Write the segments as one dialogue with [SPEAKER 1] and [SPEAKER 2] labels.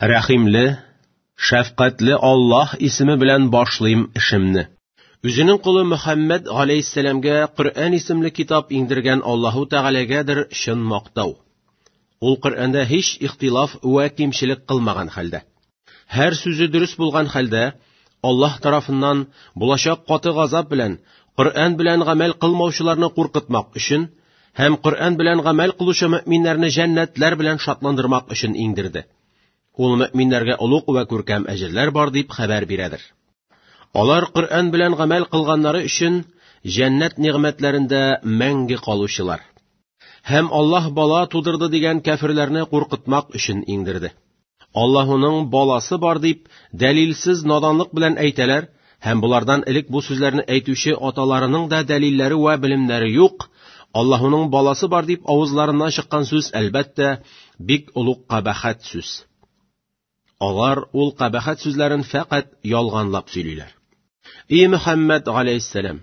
[SPEAKER 1] Рәхимле, шәфкатьле Аллаһ исеме белән башлыйм эшемне. Үзенең колы Мөхәммәд галәйһиссәламгә Коръән исемле китап иңдергән Аллаһу Тәгаләгәдер чын мактау. Ул Коръәндә һич ихтилаф вә кимчелек кылмаган хәлдә. Һәр сүзе дөрес булган хәлдә, Аллаһ тарафыннан булачак каты газап белән Коръән белән гамәл кылмаучыларны куркытмак өчен һәм Коръән белән гамәл кылучы мөэминнәрне җәннәтләр белән шатландырмак өчен иңдерде. Ул мөэминнәргә олуг вә күркәм әҗерләр бар дип хәбәр бирәдер. Алар Коръән белән гамәл кылганнары өчен җәннәт нигъмәтләрендә мәңге калучылар. Һәм Аллаһ бала тудырды дигән кәферләрне куркытмак өчен иңдерде. Аллаһуның баласы бар дип дәлилсез наданлык белән әйтәләр һәм болардан элек бу сүзләрне әйтүче аталарының да дәлилләре вә белемнәре юк. Аллаһуның баласы бар дип авызларыннан чыккан сүз, әлбәттә, бик олуг кабахәт сүз. Алар ул кабахәт сүзләрен фәкать ялганлап сөйлиләр. И Мөхәммәд галәйһиссәлам,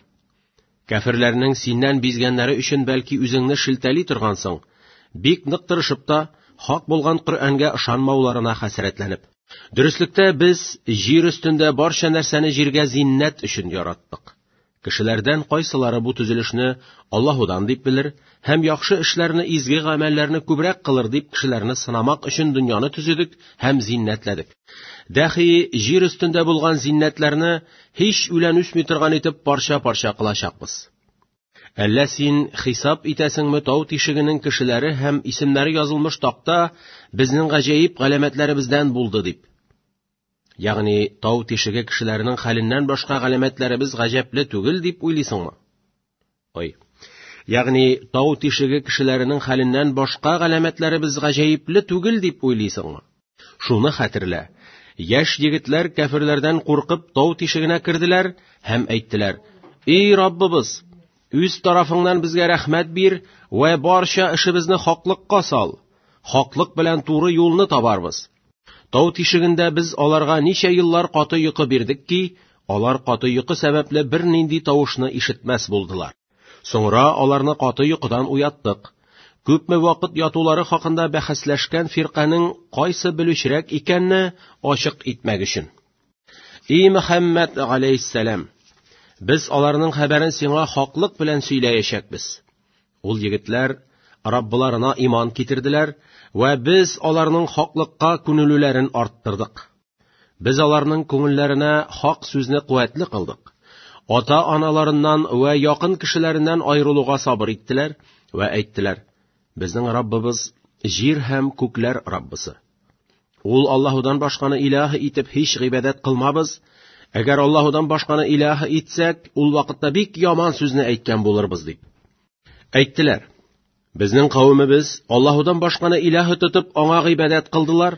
[SPEAKER 1] кәферләрнең синнән бизгәннәре өчен бәлки үзеңне шелтәли торгансың, бик нык тырышып та, хак булган Коръәнгә ышанмауларына хәсрәтләнеп. Дөреслектә без җир өстендә барча нәрсәне җиргә зиннәт өчен яраттык. Кешеләрдән кайсылары бу төзелешне Аллаһудан дип белер һәм яхшы эшләрне, изге гамәлләрне күбрәк кылыр дип кешеләрне сынамак өчен дөньяны төзедек һәм зиннәтләдек. Дәхи җир өстендә булган зиннәтләрне һич үлән үсми торган итеп парча-парча кылачакбыз. Әллә син хисап итәсеңме тау тишегенең кешеләре һәм исемнәре язылмыш такта безнең гаҗәеп галәмәтләребездән булды дип? Ягъни тау тишеге кешеләренең хәленнән башка галәмәтләребез гаҗәпле түгел дип уйлыйсыңмы? Ой. Ягъни тау тишеге кешеләренең хәленнән башка галәмәтләребез гаҗәепле түгел дип уйлыйсыңмы? Шуны хәтерлә. Яшь егетләр кәферләрдән куркып тау тишегенә керделәр һәм әйттеләр: "Эй Раббыбыз, үз тарафыңнан безгә рәхмәт бир вә барча эшебезне хаклыкка сал. Хаклык белән туры юлны табарбыз." Тау тишегендә без аларга ничә еллар каты йокы бирдек ки, алар каты йокы сәбәпле бернинди тавышны ишетмәс булдылар. Соңра аларны каты йокыдан уяттык. Күпме вакыт ятулары хакында бәхәсләшкән фирканең кайсы белүчерәк икәнне ачык итмәк өчен. И Мөхәммәд галәйһиссәлам, без аларның хәбәрен сиңа хаклык белән сөйләячәкбез. Ул егетләр Раббыларына иман китерделәр вә без аларның хаклыкка күнелүләрен арттырдык. Без аларның күңелләренә хак сүзне куәтле кылдык. Ата-аналарыннан вә якын кешеләреннән аерылуга сабыр иттеләр вә әйттеләр: Безнең Раббыбыз җир һәм күкләр Раббысы. Ул Аллаһудан башканы илаһ итеп һич гыйбадәт кылмабыз. Әгәр Аллаһудан башканы илаһ итсәк, ул вакытта бик яман сүзне әйткән булырбыз дип. Әйттеләр: Безнең кавемебез Аллаһудан башканы илаһ тотып аңа гыйбадәт кылдылар.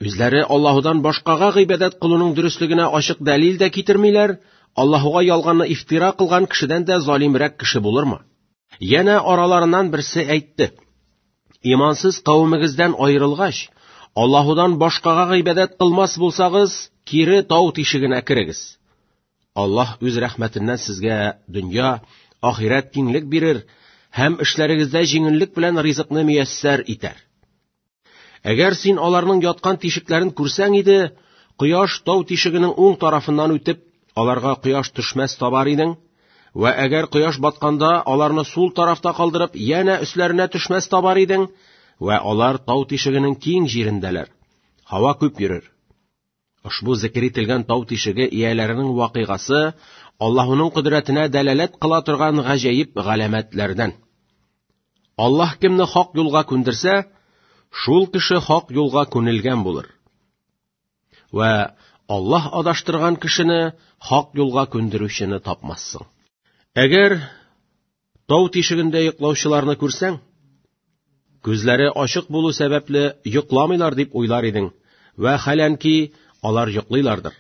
[SPEAKER 1] Үзләре Аллаһудан башкага гыйбадәт кылуның дөреслегенә ачык дәлил дә китермиләр, Аллаһуга ялганны ифтира кылган кешедән дә залимрәк кеше булырмы? Янә араларыннан берсе әйтте: Имансыз кавемегездән аерылгач, Аллаһудан башкага гыйбадәт кылмас булсагыз, кире тау тишегенә керегез. Аллаһ үз рәхмәтеннән сезгә дөнья, ахирәт киңлек бирер һәм эшләрегездә җиңеллек белән ризыкны мияссәр итәр. Әгәр син аларның яткан тишекләрен күрсәң иде, кояш тау тишегенең уң тарафыннан үтеп, аларга кояш төшмәс табар идең, вә әгәр кояш батканда аларны сул тарафта калдырып, янә өсләренә төшмәс табар идең, вә алар тау тишегенең киң җирендәләр. Һава күп йөрер. Ошбу зикер ителгән тау тишеге ияләренең вакыйгасы Аллаһуның кодрәтенә дәлаләт кыла торган гаҗәеп галәмәтләрдән. Аллаһ кемне хак юлга күндерсә, шул кеше хак юлга күнелгән булыр. Вә Аллаһ адаштырган кешене хак юлга күндерүчене тапмассың. Әгәр Тау тишегендә йоклаучыларны күрсәң, күзләре ачык булу сәбәпле йокламыйлар дип уйлар идең, вә хәләнки алар йоклыйлардыр.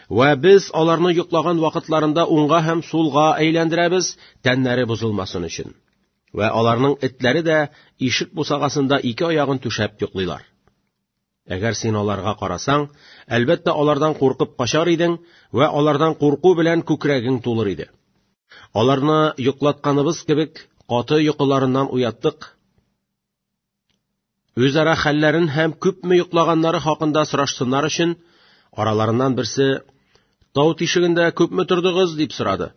[SPEAKER 1] Вә без аларны йоклаган вакытларында уңга һәм сулга әйләндерәбез, тәннәре бозылмасын өчен. Вә аларның этләре дә ишек бусагасында ике аягын түшәп йоклыйлар. Әгәр син аларга карасаң, әлбәттә, алардан куркып качар идең вә алардан курку белән күкрәгең тулыр иде. Аларны йоклатканыбыз кебек каты йокыларыннан уяттык. Үзара хәлләрен һәм күпме йоклаганнары хакында сорашсыннар өчен, араларыннан берсе: "Тау тишегендә күпме тордыгыз?" дип сорады.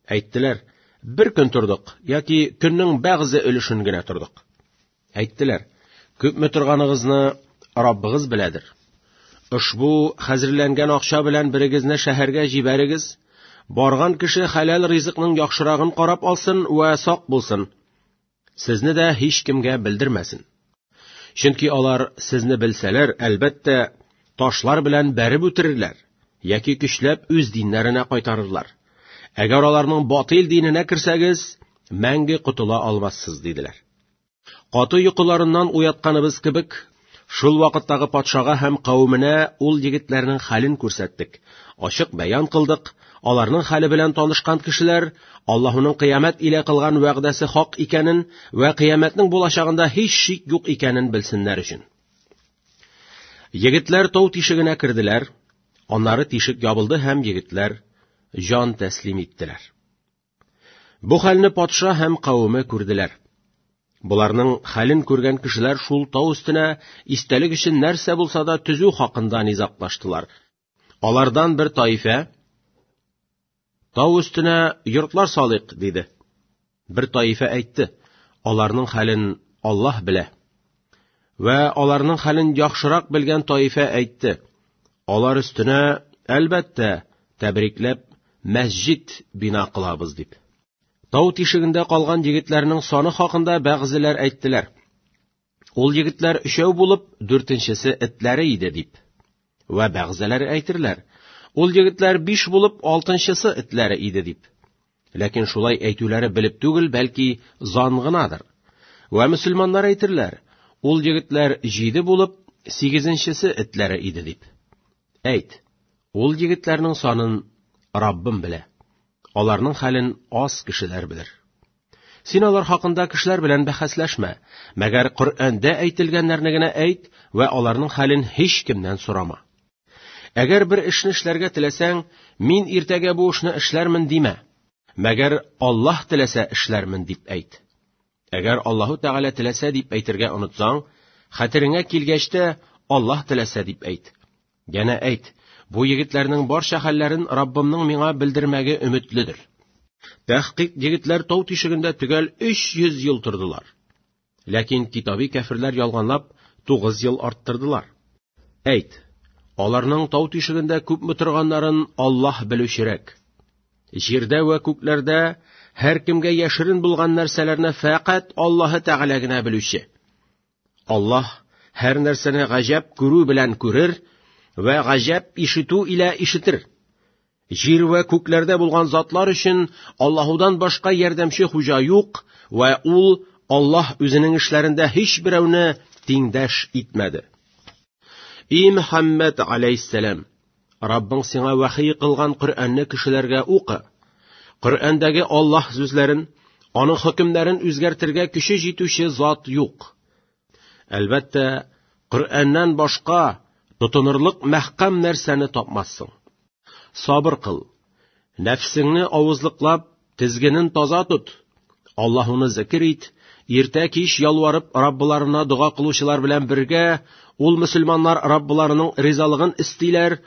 [SPEAKER 1] Әйттеләр: "Бер көн тордык яки көннең бәгъзе өлешен генә тордык." Әйттеләр: "Күпме торганыгызны Раббыгыз беләдер. Ошбу хәзерләнгән акча белән берегезне шәһәргә җибәрегез. Барган кеше хәләл ризыкның яхшырагын карап алсын вә сак булсын. Сезне дә һичкемгә белдермәсен. Чөнки алар сезне белсәләр, әлбәттә, ташлар белән бәреп үтерерләр яки көчләп үз диннәренә кайтарырлар. Әгәр аларның батил диненә керсәгез, мәңге котыла алмассыз, диделәр. Каты йокыларыннан уятканыбыз кебек, шул вакыттагы патшага һәм кавеменә ул егетләрнең хәлен күрсәттек, ачык бәян кылдык, аларның хәле белән танышкан кешеләр Аллаһуның кыямәт илә кылган вәгъдәсе хак икәнен вә кыямәтнең булачагында һич шик юк икәнен белсеннәр өчен. Егетләр тау тишегенә керделәр, аннары тишек ябылды һәм егетләр җан тәслим иттеләр. Бу хәлне патша һәм кавеме күрделәр. Боларның хәлен күргән кешеләр шул тау өстенә истәлек өчен нәрсә булса да төзү хакында низаглаштылар. Алардан бер таифә: "Тау өстенә йортлар салыйк", диде. Бер таифә әйтте: "Аларның хәлен Аллаһ белә." Вә аларның хәлен яхшырак белгән таифә әйтте: "Алар өстенә, әлбәттә, тәбрикләп мәсҗид бина кылабыз", дип. Тау тишегендә калган егетләрнең саны хакында бәгъзеләр әйттеләр: Ул егетләр өчәү булып, дүртенчесе этләре иде, дип. Вә бәгъзеләре әйтерләр: Ул егетләр биш булып, алтынчысы этләре иде, дип. Ләкин шулай әйтүләре белеп түгел, бәлки зан гынадыр. Вә мөселманнар әйтерләр: Ул егетләр җиде булып, сигезенчесе этләре иде, дип. Әйт, ул егетләрнең санын Раббым белә. Аларның хәлен аз кешеләр белер. Син алар хакында кешеләр белән бәхәсләшмә, мәгәр Коръәндә әйтелгәннәрне генә әйт вә аларның хәлен һичкемнән сорама. Әгәр бер эшне эшләргә теләсәң, мин иртәгә бу эшне эшләрмен димә, мәгәр Аллаһ теләсә эшләрмен дип әйт. Әгәр Аллаһу Тәгалә теләсә дип әйтергә онытсаң, хәтереңә килгәч тә Аллаһ теләсә дип әйт. Янә әйт: бу егетләрнең барча хәлләрен Раббымның миңа белдермәге өметледер. Тәхкыйк егетләр тау тишегендә төгәл 300 ел тордылар. Ләкин китаби кәферләр ялганлап 9 ел арттырдылар. Әйт, аларның тау тишегендә күпме торганнарын Аллаһ белүчерәк. Җирдә вә күкләрдә һәркемгә яшерен булган нәрсәләрне фәкать Аллаһы Тәгалә генә белүче. Аллаһ һәр нәрсәне гаҗәп күрү белән күрер вә гаҗәп ишетү илә ишетер. Җир вә күкләрдә булган затлар өчен Аллаһудан башка ярдәмче хуҗа юк вә ул Аллаһ үзенең эшләрендә һич берәүне тиңдәш итмәде. И Мөхәммәд алейһиссәлам, Раббың сиңа вәхи кылган Коръәнне кешеләргә укы. Коръәндәге Аллаһ сүзләрен, аның хөкемнәрен үзгәртергә көче җитүче зат юк. Әлбәттә, Коръәннән башка тотынырлык мәхкәм нәрсәне тапмассың. Сабыр кыл. Нәфсеңне авызлыклап, тезгенен таза тот. Аллаһуны зикр ит, иртә кич ялварып Раббыларына дога кылучылар белән бергә ул мөселманнар Раббыларының ризалыгын истиләр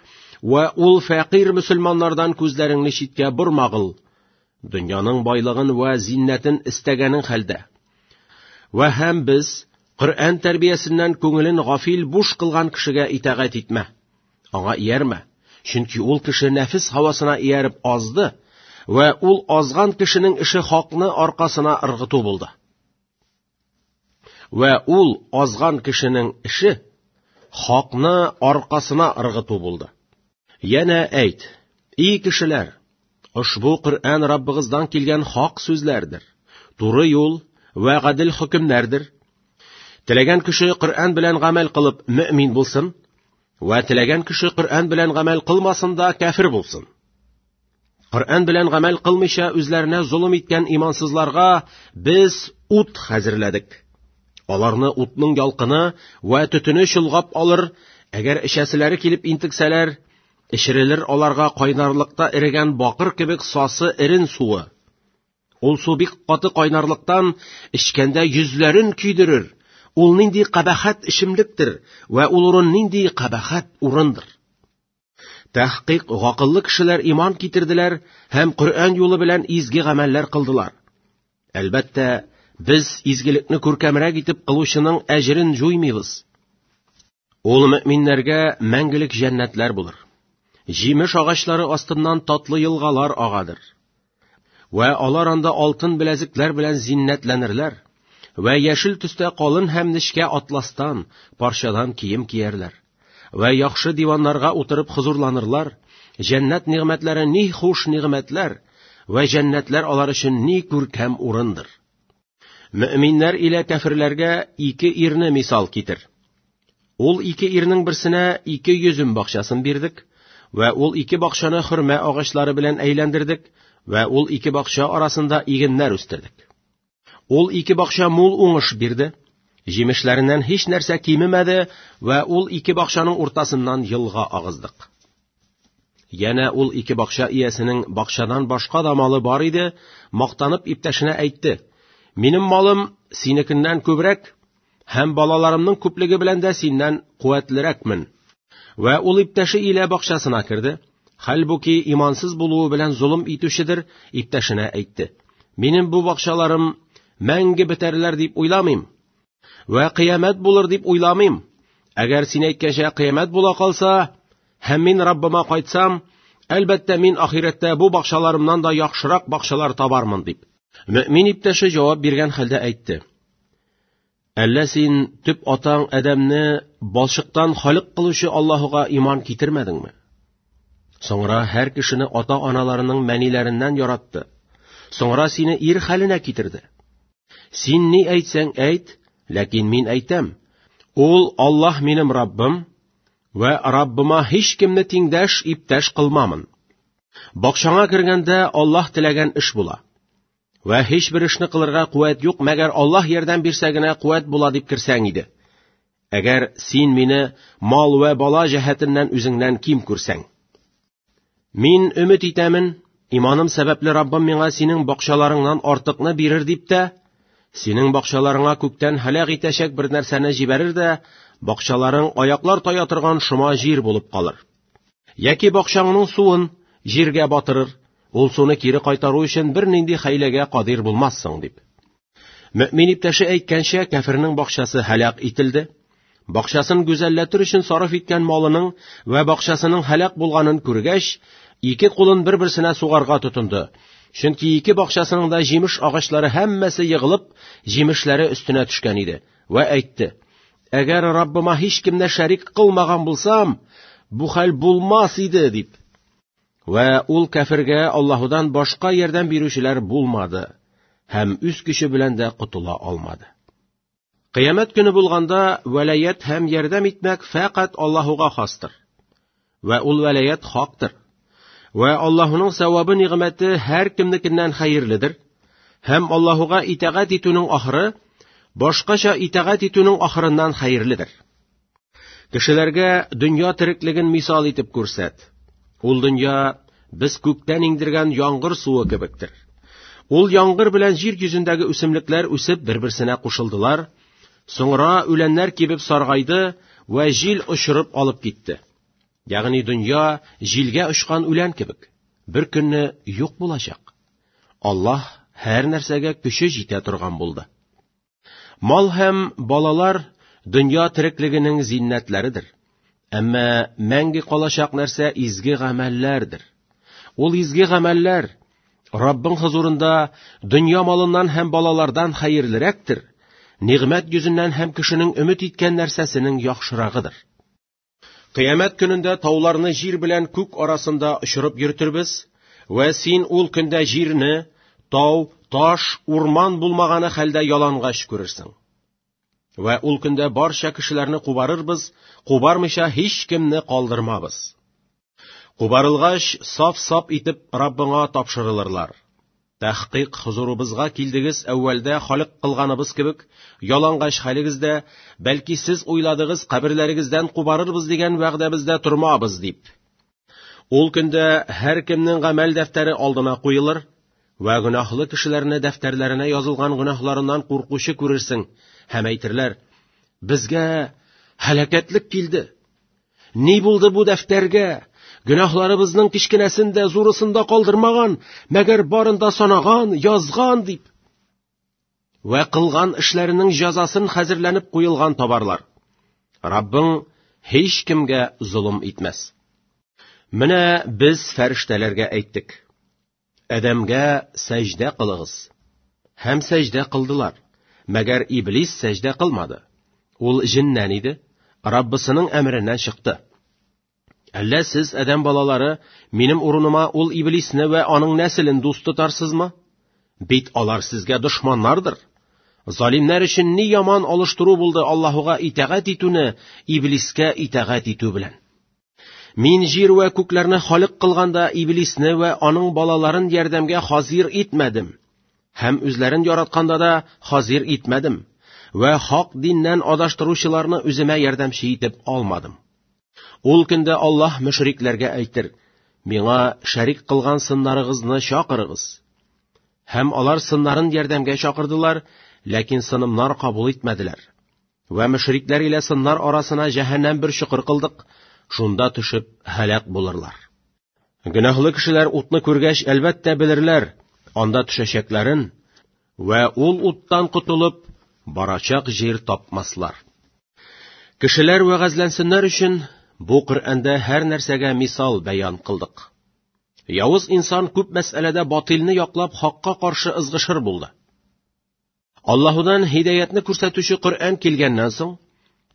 [SPEAKER 1] вә ул фәкыйрь мөселманнардан күзләреңне читкә бормагыл. Дөньяның байлыгын вә зиннәтен истәгәнең хәлдә. Вә һәм без Коръән тәрбиясеннән күңелен гафил буш кылган кешегә итагать итмә. Аңа иярмә, чөнки ул кеше нәфес һавасына ияреп азды, вә ул азган кешенең эше хакны аркасына ыргыту булды. Вә ул азган кешенең эше хакны аркасына ыргыту булды. Янә әйт: И кешеләр, ошбу Коръән Раббыгыздан килгән хак сүзләрдер, туры юл вә гадел хөкемнәрдер. Теләгән кеше Коръән белән гамәл кылып мөэмин булсын, вә теләгән кеше Коръән белән гамәл кылмасын да кәфер булсын. Коръән белән гамәл кылмыйча үзләренә золым иткән имансызларга без ут хәзерләдек. Аларны утның ялкыны вә төтене чолгап алыр, әгәр эчәселәре килеп интексәләр, эчерелер аларга кайнарлыкта эрегән бакыр кебек сасы эрен суы. Ул су бик каты кайнарлыктан эчкәндә йөзләрен көйдерер Ул нинди кабахәт эчемлектер вә ул урын нинди кабахәт урындыр. Тәхкыйк гакыллы кешеләр иман китерделәр һәм Коръән юлы белән изге гамәлләр кылдылар. Әлбәттә, без изгелекне күркәмрәк итеп кылучының әҗерен җуймыйбыз. Ул мөэминнәргә мәңгелек җәннәтләр булыр. Җимеш агачлары астыннан татлы елгалар агадыр. Вә алар анда алтын беләзекләр белән зиннәтләнерләр, вә яшел төстә калын һәм нечкә атластан, парчадан кием киярләр. Вә яхшы диваннарга утырып хозурланырлар. Җәннәт нигъмәтләре ни хуш нигъмәтләр, вә җәннәтләр алар өчен ни күркәм урындыр. Мөэминнәр илә кәферләргә ике ирне мисал китер. Ул ике ирнең берсенә ике йөзем бакчасын бирдек, вә ул ике бакчаны хөрмә агачлары белән әйләндердек, вә ул ике бакча арасында игеннәр үстердек. Ул ике бакча мул уңыш бирде, җимешләреннән һич нәрсә кимемәде, вә ул ике бакчаның уртасыннан елга агыздык. Янә ул ике бакча иясенең бакчадан башка да малы бар иде, мактанып иптәшенә әйтте: "Минем малым синекеннән күбрәк, һәм балаларымның күплеге белән дә синнән куәтлерәкмен." Вә ул иптәше илә бакчасына керде. Хәлбуки имансыз булуы белән золым итүчедер, иптәшенә әйтте: "Минем бу бакчаларым мәңге бетәрләр дип уйламыйм, вә кыямәт булыр дип уйламыйм. Әгәр син әйткәнчә кыямәт була калса, һәм мин Раббыма кайтсам, әлбәттә мин ахирәттә бу бакчаларымнан да яхшырак бакчалар табармын", дип. Мөэмин иптәше җавап биргән хәлдә әйтте: "Әллә син төп атаң Адәмне балчыктан халык кылучы Аллаһуга иман китермәдеңме? Соңра һәр кешене ата-аналарының мәниләреннән яратты. Соңра сине ир хәленә китерде. Син ни әйтсәң әйт, ләкин мин әйтәм: Ул Аллаһ минем Раббым, вә Раббыма һич кемне тиңдәш, иптәш кылмамын. Бакчаңа кергәндә Аллаһ теләгән эш була. Вә һич бер эшне кылырга куәт юк, мәгәр Аллаһ ярдәм бирсә генә куәт була дип керсәң иде. Әгәр син мине мал вә бала җәһәтеннән үзеңнән ким күрсәң. Мин өмет итәмен, иманым сәбәпле Раббым миңа синең бакчаларыңнан артыкны бирер дип тә, синең бакчаларыңа күктән һәлак итәчәк бер нәрсәне җибәрер дә, бакчаларың аяклар тая торган шома җир булып калыр. Яки бакчаңның суын җиргә батырыр, ул суны кире кайтару өчен бернинди хәйләгә кадир булмассың, дип. Мөэмин иптәше әйткәнчә, кәфернең бакчасы һәлак ителде. Бакчасын гүзәлләтер өчен сарыф иткән малының вә бакчасының һәлак булганын күргәч, ике кулын бер-берсенә сугарга тотынды. Чөнки ике бакчасының да җимеш агачлары һәммәсе егылып, җимешләре өстенә төшкән иде. Вә әйтте: "Әгәр Раббыма һич кемне шәрик кылмаган булсам, бу хәл булмас иде", дип. Вә ул кәфергә Аллаһудан башка ярдәм бирүчеләр булмады һәм үз көче белән дә котыла алмады. Кыямәт көне булганда вәлаят һәм ярдәм итмәк фәкать Аллаһуга хастыр. Вә ул вәлаят хактыр. Вә Аллаһуның савабы нигъмәте һәр кемнекеннән хәерледер. Һәм Аллаһуга итагать итүнең ахыры башкача итагать итүнең ахырыннан хәерледер. Кешеләргә дөнья тереклеген мисал итеп күрсәт. Ул дөнья без күктән иңдергән яңгыр суы кебектер. Ул яңгыр белән җир йөзендәге үсемлекләр үсеп бер-берсенә кушылдылар, соңра үләннәр кибеп саргайды вә җил очырып алып китте. Ягъни дөнья җилгә очкан үлән кебек, бер көнне юк булачак. Аллаһ һәр нәрсәгә көче җитә торган булды. Мал һәм балалар дөнья тереклегенең зиннәтләредер. Әмма мәңге калачак нәрсә изге гамәлләрдер. Ул изге гамәлләр Раббың хозурында дөнья малыннан һәм балалардан хәерлерәктер, нигъмәт йөзеннән һәм кешенең өмет иткән нәрсәсенең яхшырагыдыр. Кыямәт көнендә тауларны җир белән күк арасында очырып йөртербез, вә син ул көндә җирне, тау, таш, урман булмаганы хәлдә ялангач күрерсең. Вә ул көндә барча кешеләрне кубарырбыз, кубармыйча һич кемне калдырмабыз. Кубарылгач, саф-саф итеп Раббыңа тапшырылырлар. Тәхкыйк хузурыбызга килдегез әүвәлдә халык кылганыбыз кебек, ялангач хәлегездә, бәлки сез уйладыгыз каберләрегездән кубарырбыз дигән вәгъдәбездә тормабыз дип. Ул көндә һәр кемнең гамәл дәфтәре алдына куелыр, вә гөнаһлы кешеләрне дәфтәрләренә язылган гөнаһларыннан куркучы күрерсең, һәм әйтерләр: Безгә һәлакәтлек килде. Ни булды бу дәфтәргә? Гөнаһларыбызның кечкенәсен дә, зурысын да калдырмаган, мәгәр барын да санаган, язган дип. Вә кылган эшләренең җәзасын хәзерләнеп куелган табарлар. Раббың һич кемгә золым итмәс. Менә без фәрештәләргә әйттек: Адәмгә сәҗдә кылыгыз. Һәм сәҗдә кылдылар. Мәгәр Иблис сәҗдә кылмады. Ул җеннән иде, Раббысының әмереннән чыкты. Әллә сез, адәм балалары, минем урыныма ул Иблисне вә аның нәселен дус тотарсызмы? Бит алар сезгә дошманнардыр. Залимнәр өчен ни яман алыштыру булды Аллаһуга итагать итүне Иблискә итагать итү белән. Мин җир вә күкләрне халык кылганда Иблисне вә аның балаларын ярдәмгә хазир итмәдем. Һәм үзләрен яратканда да хазир итмәдем. Вә хак диннән адаштыручыларны үземә ярдәмче итеп алмадым. Ул көндә Аллаһ мөшрикләргә әйтер: Миңа шәрик кылган сыннарыгызны чакырыгыз. Һәм алар сыннарын ярдәмгә чакырдылар, ләкин сынымнар кабул итмәделәр. Вә мөшрикләр илә сыннар арасына җәһәннәм бер чокыр кылдык, шунда төшеп һәлак булырлар. Гөнаһлы кешеләр утны күргәч, әлбәттә белерләр, анда төшәчәкләрен, вә ул уттан котылып, барачак җир тапмаслар. Кешеләр вәгазьләнсеннәр өчен бу Коръәндә һәр нәрсәгә мисал бәян кылдык. Явыз инсан күп мәсьәләдә батилны яклап хакка каршы ызгышыр булды. Аллаһудан һидаятны күрсәтүче Коръән килгәннән соң,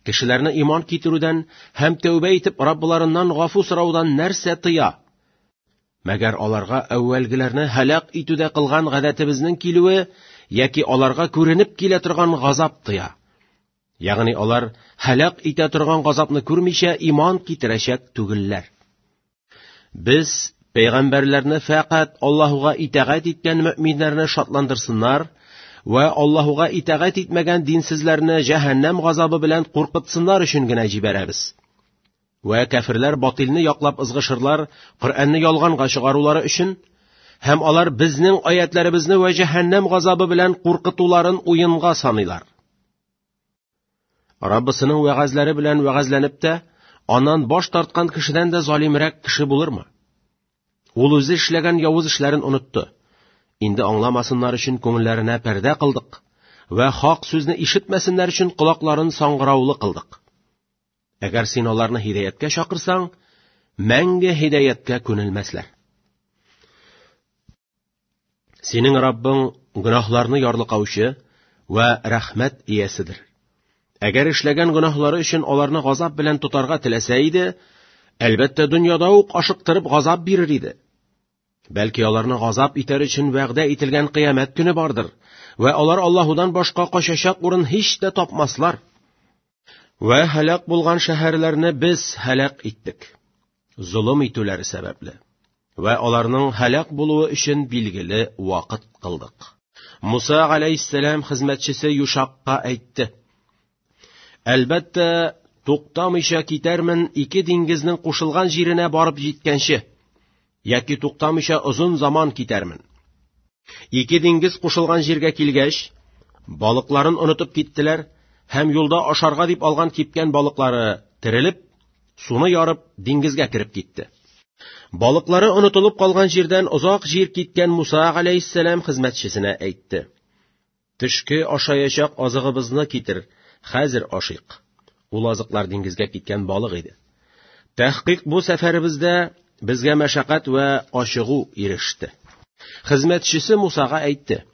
[SPEAKER 1] кешеләрне иман китерүдән һәм тәүбә итеп Раббларыннан гафу сораудан нәрсә тыя? Мәгәр аларга әүвәлгеләрне һәлак итүдә кылган гадәтебезнең килүе яки аларга күренеп килә торган газап тыя. Ягъни алар һәлак итә торган газапны күрмичә иман китерәчәк түгелләр. Без пәйгамбәрләрне фәкать Аллаһуга итагать иткән мөэминнәрне шатландырсыннар вә Аллаһуга итагать итмәгән динсезләрне җәһәннәм газабы белән куркытсыннар өчен генә җибәрәбез. Вә кәферләр батилны яклап ызгышырлар, Коръәнне ялганга чыгарулары өчен, һәм алар безнең аятларыбызны вә җәһәннәм газабы белән куркытуларын уенга саныйлар. Раббысының вәгазьләре белән вәгазьләнеп тә, аннан баш тарткан кешедән дә залимрәк кеше булырмы? Ул үзе эшләгән явыз эшләрен онытты. Инде аңламасыннар өчен күңелләренә пәрдә кылдык вә хак сүзне ишетмәсеннәр өчен колакларын саңгыраулы кылдык. Әгәр син аларны һидаяткә чакырсаң, мәңге һидаяткә күнелмәсләр. Синең Раббың гөнаһларны ярлыкаучы вә рәхмәт ияседер. Әгәр эшләгән гөнаһлары өчен аларны газап белән тотарга теләсә иде, әлбәттә, дөньяда ук ашыктырып газап бирер иде. Бәлки аларны газап итәр өчен вәгъдә ителгән кыямәт көне бардыр, вә алар Аллаһудан башка качачак урын һич тә тапмаслар. Вә һәлак булган шәһәрләрне без һәлак иттек, золым итүләре сәбәпле. Вә аларның һәлак булуы өчен билгеле вакыт кылдык. Муса галәйһиссәлам хезмәтчесе Юшакка әйтте: Әлбәттә, туктамыйча китәрмен ике диңгезнең кушылган җиренә барып җиткәнче, яки туктамыйча озын заман китәрмен. Ике диңгез кушылган җиргә килгәч, балыкларын онытып киттеләр һәм юлда ашарга дип алган кипкән балыклары терелеп, суны ярып, диңгезгә кереп китте. Балыклары онытылып калган җирдән озак җир киткән Муса галәйһиссәлам хезмәтчесенә әйтте: Төшке ашаячак азыгыбызны китер, хәзер ашыйк. Ул азыклар диңгезгә киткән балык иде. Тәхкыйк бу сәфәребездә безгә мәшәкать вә ачыгу иреште. Хезмәтчесе Мусага әйтте: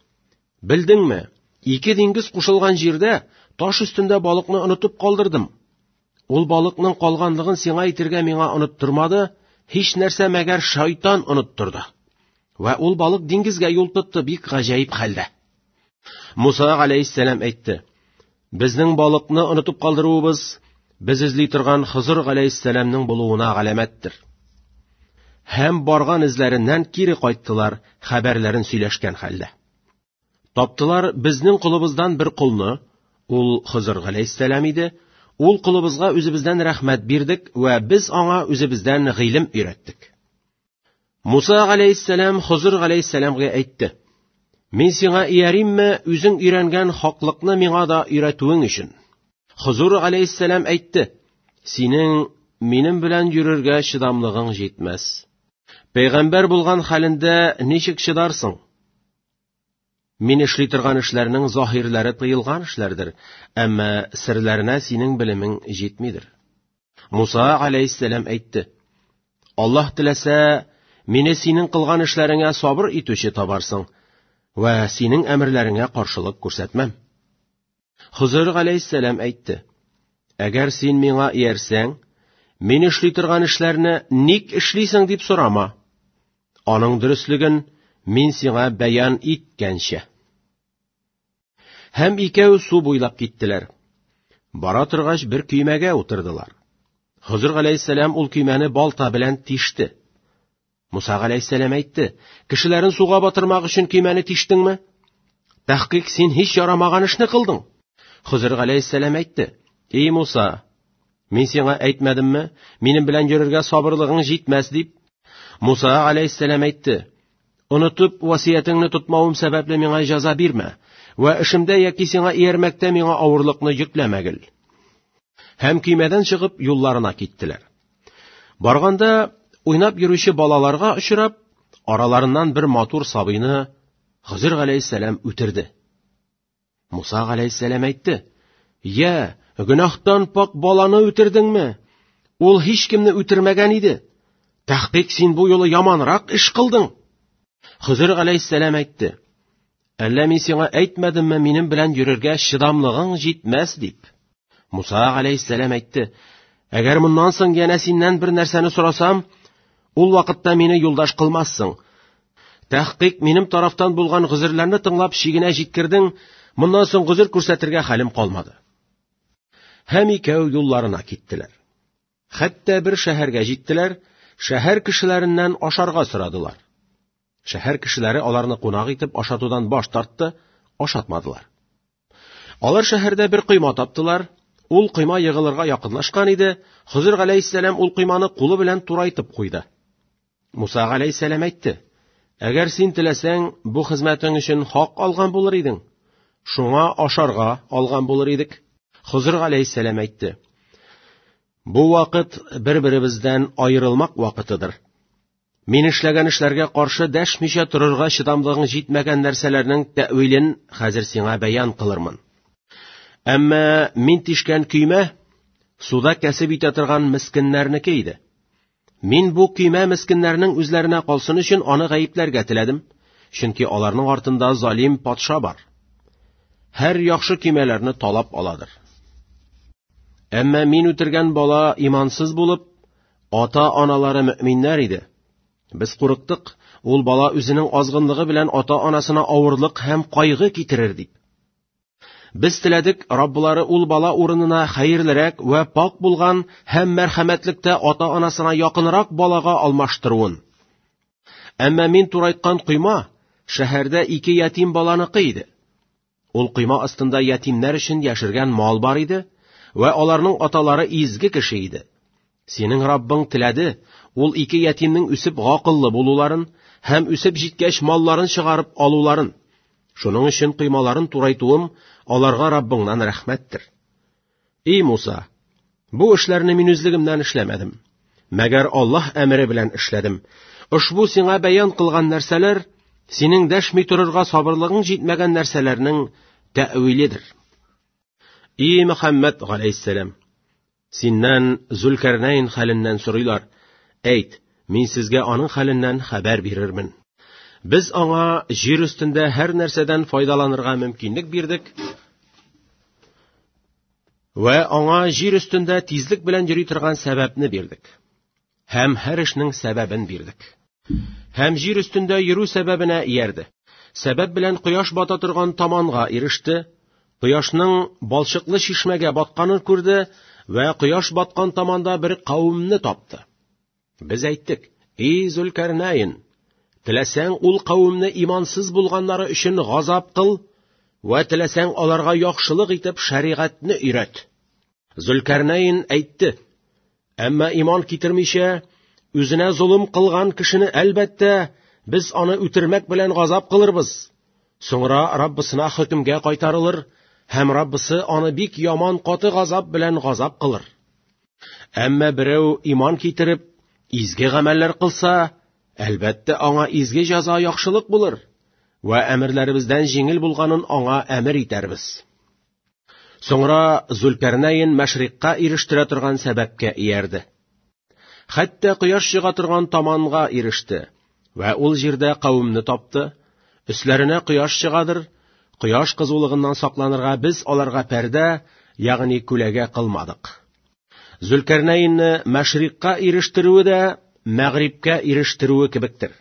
[SPEAKER 1] Белдеңме, ике диңгез кушылган җирдә таш өстендә балыкны онытып калдырдым. Ул балыкның калганлыгын сиңа әйтергә миңа оныттырмады, һич нәрсә мәгәр шайтан оныттырды. Вә ул балык диңгезгә юл тотты бик гаҗәеп хәлдә. Муса галәйһиссәлам әйтте: Безнең балыкны онытып калдыруыбыз без эзли торган Хызыр галәйһиссәламнең булуына галәмәттер. Һәм барган эзләреннән кире кайттылар, хәбәрләрен сөйләшкән хәлдә. Таптылар безнең колыбыздан бер колны, ул Хызыр галәйһиссәлам иде. Ул колыбызга үзебездән рәхмәт бирдек вә без аңа үзебездән гыйлем өйрәттек. Муса галәйһиссәлам Хызыр галәйһиссәламгә әйтте: Мин сиңа ияримме, үзең өйрәнгән хаклыкны миңа да өйрәтүең өчен? Хозур галәйһиссәлам әйтте: "Синең минем белән йөрергә чыдамлыгың җитмәс. Пәйгамбәр булган хәлендә ничек чыдарсың? Мин эшли торган эшләрнең заһирләре тыелган эшләрдер, әмма серләренә синең белемең җитмидер." Муса галәйһиссәлам әйтте: "Аллаһ теләсә, мине синең кылган эшләреңә сабыр итүче табарсың вә синең әмерләреңә каршылык күрсәтмәм." Хозыр галәйһиссәлам әйтте: "Әгәр син миңа иярсәң, мин эшли торган эшләрне ник эшлисең дип сорама. Аның дөреслеген мин сиңа бәян иткәнчә." Һәм икәү су буйлап киттеләр. Бара торгач бер көймәгә утырдылар. Хозыр галәйһиссәлам ул көймәне балта белән тиште. Муса галәйһиссәлам әйтте: "Кешеләрен суга батырмак өчен көймәне тиштеңме? Тәхкыйк син һич ярамаган эшне кылдың." Хозыр галәйһиссәлам әйтте: "Эй Муса, мин сиңа әйтмәдемме, минем белән йөрергә сабырлыгың җитмәс дип?" Муса галәйһиссәлам әйтте: "Онытып васыятеңне тотмавым сәбәпле миңа җәза бирмә, вә эшемдә яки сиңа иярмәктә миңа авырлыкны йөкләмәгел." Һәм көймәдән чыгып юлларына киттеләр. Барганда уйнап йөрүче балаларга очрап, араларыннан бер матур сабыйны Хозыр галәйһиссәлам үтерде. Муса галәйһиссәлам әйтте: "Я, гөнаһтан пак баланы үтердеңме? Ул һич кемне үтермәгән иде. Тәхкыйк син бу юлы яманрак эш кылдың." Хозыр галәйһиссәлам әйтте: "Әллә мин сиңа әйтмәдемме, минем белән йөрергә чыдамлыгың җитмәс дип?" Муса галәйһиссәлам әйтте: "Әгәр моннан соң янә синнән бер нәрсәне сорасам, ул вакытта мине юлдаш кылмассың. Тәхкыйк минем тарафтан булган гозерләрне тыңлап чигенә җиткердең, моннан соң гозер күрсәтергә хәлем калмады." Һәм икәү юлларына киттеләр. Хәтта бер шәһәргә җиттеләр, шәһәр кешеләреннән ашарга сорадылар. Шәһәр кешеләре аларны кунак итеп ашатудан баш тартты, ашатмадылар. Алар шәһәрдә бер койма таптылар. Ул койма егылырга якынлашкан иде. Хозыр галәйһиссәлам ул койманы кулы белән турайтып куйды. Муса галәйһиссәлам әйтте: "Әгәр син теләсәң, бу хезмәтең өчен хак алган булыр идең. Шуңа ашарга алган булыр идек." Хозыр галәйһиссәлам әйтте: "Бу вакыт бер-беребездән аерылмак вакытыдыр. Мин эшләгән эшләргә каршы дәшмичә торырга чыдамлыгың җитмәгән нәрсәләрнең тәэвилен хәзер сиңа бәян кылырмын. Әмма мин тишкән көймә суда кәсеп итә торган мескеннәрнеке иде. Мин бу көймә мескеннәрнең үзләренә калсын өчен аны гаепләргә теләдем, чөнки аларның артында залим патша бар. Һәр яхшы көймәләрне талап аладыр. Әмма мин үтергән бала имансыз булып, ата-аналары мөэминнәр иде. Без курыктык, ул бала үзенең азгынлыгы белән ата-анасына авырлык һәм кайгы китерер дип. Без теләдек, Рабблары ул бала урынына хәерлерәк вә пак булган һәм мәрхәмәтлектә ата-анасына якынрак балага алмаштыруын. Әмма мин турайткан койма шәһәрдә ике ятим баланыкы иде. Ул койма астында ятимнәр өчен яшергән мал бар иде, вә аларның аталары изге кеше иде. Синең Раббың теләде, ул ике ятимнең үсеп гакыллы булуларын һәм үсеп җиткәч малларын чыгарып алуларын. Шуның өчен коймаларын турайтуым аларга Раббыңнан рәхмәттер. Эй Муса, бу эшләрне мин үзлегемнән эшләмәдем, мәгәр Аллаһ әмере белән эшләдем. Ошбу сиңа бәян кылган нәрсәләр синең дәшми торырга сабырлыгың җитмәгән нәрсәләрнең тәэвиледер. Ий Мөхәммәд галәйһиссәлам, синнән Зүлкәрнәйн хәленнән сорыйлар. Әйт, мин сезгә аның хәленнән хәбәр бирермен. Без аңа җир өстендә һәр нәрсәдән файдаланырга мөмкинлек бирдек вә аңа җир өстендә тизлек белән йөри торган сәбәпне бирдек. Һәм һәр эшнең сәбәбен бирдек. Һәм җир өстендә йөрү сәбәбенә иярде. Сәбәп белән кояш бата торган таманга иреште, кояшның балчыклы чишмәгә батканын күрде вә кояш баткан таманда бер кавемне тапты. Без әйттек: "Эй Зүлкәрнәйн, теләсәң ул кавемне имансыз булганнары өчен газап кыл, вә теләсәң аларга яхшылык итеп шәригатьне өйрәт." Зүлкәрнәйн әйтте: "Әмма иман китермичә, үзенә золым кылган кешене әлбәттә без аны үтермәк белән газап кылырбыз. Соңра Раббысына хөкемгә кайтарылыр Һәм Раббысы аны бик яман каты газап белән газап кылыр. Әмма берәү иман китереп, изге гамәлләр кылса, әлбәттә, аңа изге җәза яхшылык булыр вә әмерләребездән җиңел булганын аңа әмер итәрбез. Соңра Зулкәрнәйн мәшрикка ирештерә торган сәбәпкә иярде. Хәтта кояш чыга торган таманга иреште вә ул җирдә кавемне тапты. Өсләренә кояш чыгадыр, кояш кызулыгыннан сакланырга без аларга пәрдә, ягъни күләгә кылмадык. Зулкәрнәйнне мәшрикка ирештерүе дә мәгърибкә ирештерүе кебектер.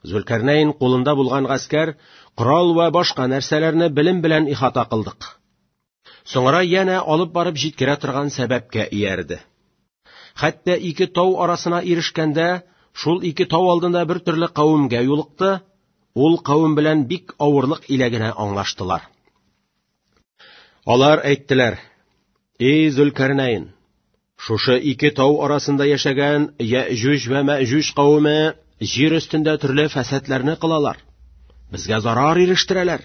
[SPEAKER 1] Зулкәрнәйн кулында булган гаскәр, корал вә башка нәрсәләрне белем белән ихата кылдык. Соңра янә алып барып җиткерә торган сәбәпкә иярде. Хәтта ике тау арасына ирешкәндә, шул ике тау алдында бер төрле кавемгә юлыкты, ул кавем белән бик авырлык илә генә аңлаштылар. Алар әйттеләр: "Эй Зулкәрнәйн, шушы ике тау арасында яшәгән Яҗүҗ вә Мәҗүҗ кавеме җир өстендә төрле фәсадләрне кылалар. Безгә зарар ирештерәләр.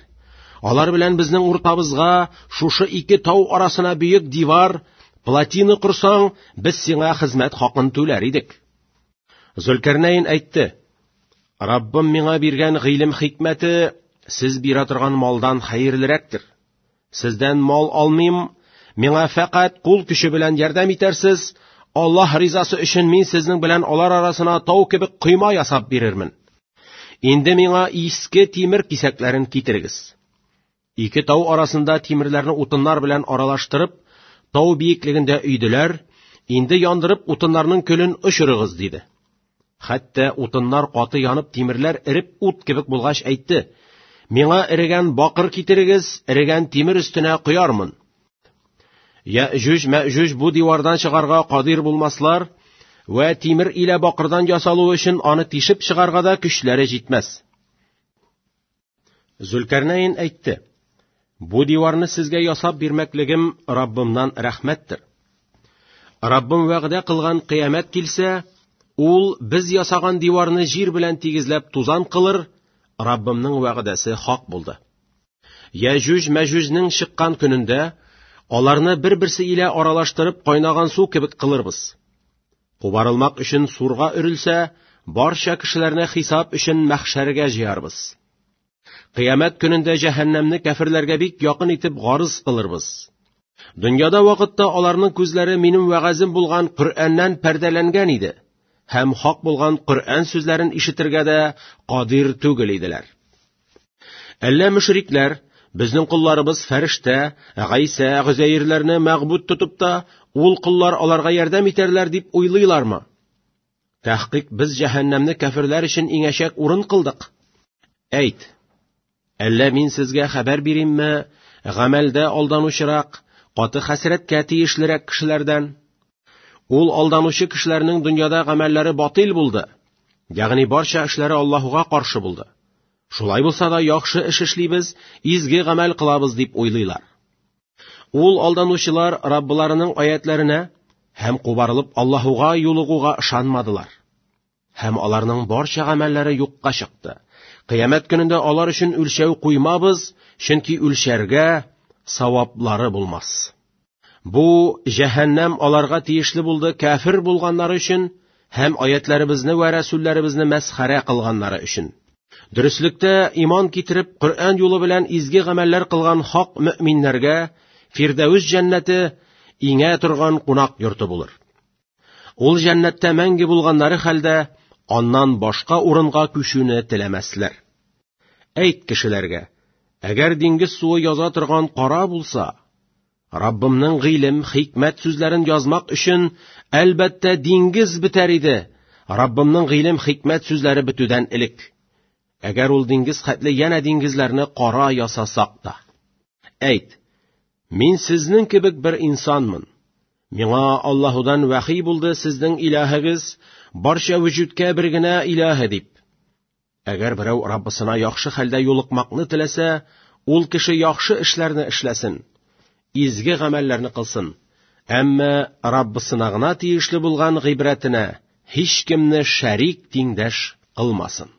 [SPEAKER 1] Алар белән безнең уртабызга шушы ике тау арасына бөек дивар, плотина корсаң, без сиңа хезмәт хакын түләр идек." Зулкәрнәйн әйтте: "Раббым миңа биргән гыйлем хикмәте сез бирә торган малдан хәерлерәктер. Сездән мал алмыйм, миңа фәкать кул көче белән ярдәм итәрсез. Аллаһ ризасы өчен мин сезнең белән алар арасына тау кебек койма ясап бирермен. Инде миңа иске тимер кисәкләрен китерегез." Ике тау арасында тимерләрне утыннар белән аралаштырып, тау биеклегендә өйделәр, инде яндырып утыннарның көлен очырыгыз, диде. Хәтта утыннар каты янып, тимерләр эреп ут кебек булгач әйтте: "Миңа эрегән бакыр китерегез, эрегән тимер өстенә коярмын. Яҗүҗ, Мәҗүҗ бу дивардан чыгарга кадир булмаслар, вә тимер илә бакырдан ясалуы өчен аны тишеп чыгарга да көчләре җитмәс." Зулкәрнәйн әйтте: "Бу диварны сезгә ясап бирмәклегем Раббымнан рәхмәттер. Раббым вәгъдә кылган кыямәт килсә, ул без ясаган диварны җир белән тигезләп тузан кылыр. Раббымның вәгъдәсе хак булды. Яҗүҗ Мәҗүҗнең чыккан көнендә аларны бер-берсе илә аралаштырып кайнаган су кебек кылырбыз. Кубарылмак өчен сурга өрелсә, барча кешеләрне хисап өчен мәхшәргә җыярбыз. Кыямәт көнендә җәһәннәмне кәферләргә бик якын итеп гарыз кылырбыз. Дөньяда вакытта аларның күзләре минем вәгазем булган Коръәннән пәрдәләнгән иде һәм хак булган Коръән сүзләрен ишетергә дә кадир түгел иделәр. Әллә мөшрикләр безнең колларыбыз фәрештә, Гайсә, Гозәирләрне мәгъбүд тотып та, ул коллар аларга ярдәм итәрләр дип уйлыйлармы? Тәхкыйк без җәһәннәмне кәферләр өчен иңәчәк урын кылдык. Әйт, әллә мин сезгә хәбәр биримме, гамәлдә алданучырак, каты хәсрәткә тиешлерәк кешеләрдән? Ул алданучы кешеләрнең дөньяда гамәлләре батил булды, ягъни барча эшләре Аллаһуга каршы булды. Шулай булса да яхшы эш эшлибез, изге гамәл кылабыз дип уйлыйлар. Ул алданучылар Раббыларының аятларына һәм кубарылып Аллаһуга юлыгуга ышанмадылар. Һәм аларның барча гамәлләре юкка чыкты. Кыямәт көнендә алар өчен үлчәү куймабыз, чөнки үлчәргә саваплары булмас. Бу җәһәннәм аларга тиешле булды кәфер булганнары өчен һәм аятларыбызны вә рәсүлләребезне мәсхәрә кылганнары өчен. Дөреслектә иман китереп, Коръән юлы белән изге гамәлләр кылган хак мөэминнәргә Фирдәүс җәннәте иңә торган кунак йорты булыр. Ул җәннәттә мәңге булганнары хәлдә аннан башка урынга күчүне теләмәсләр. Әйт кешеләргә: әгәр диңгез суы яза торган кара булса, Раббымның гыйлем, хикмәт сүзләрен язмак өчен әлбәттә диңгез бетәр иде. Раббымның гыйлем, хикмәт сүзләре бетүдән элек. Әгәр ул диңгез хәтле янә диңгезләрне кара ясасак та. Әйт, мин сезнең кебек бер инсанмын. Миңа Аллаһудан вәхи булды сезнең илаһыгыз барча вөҗүдкә бер генә илаһы дип. Әгәр берәү Раббысына яхшы хәлдә юлыкмакны теләсә, ул кеше яхшы эшләрне эшләсен, изге гамәлләрне кылсын. Әмма Раббысына гына тиешле булган гыйбрәтенә һич кемне шәрик тиңдәш кылмасын.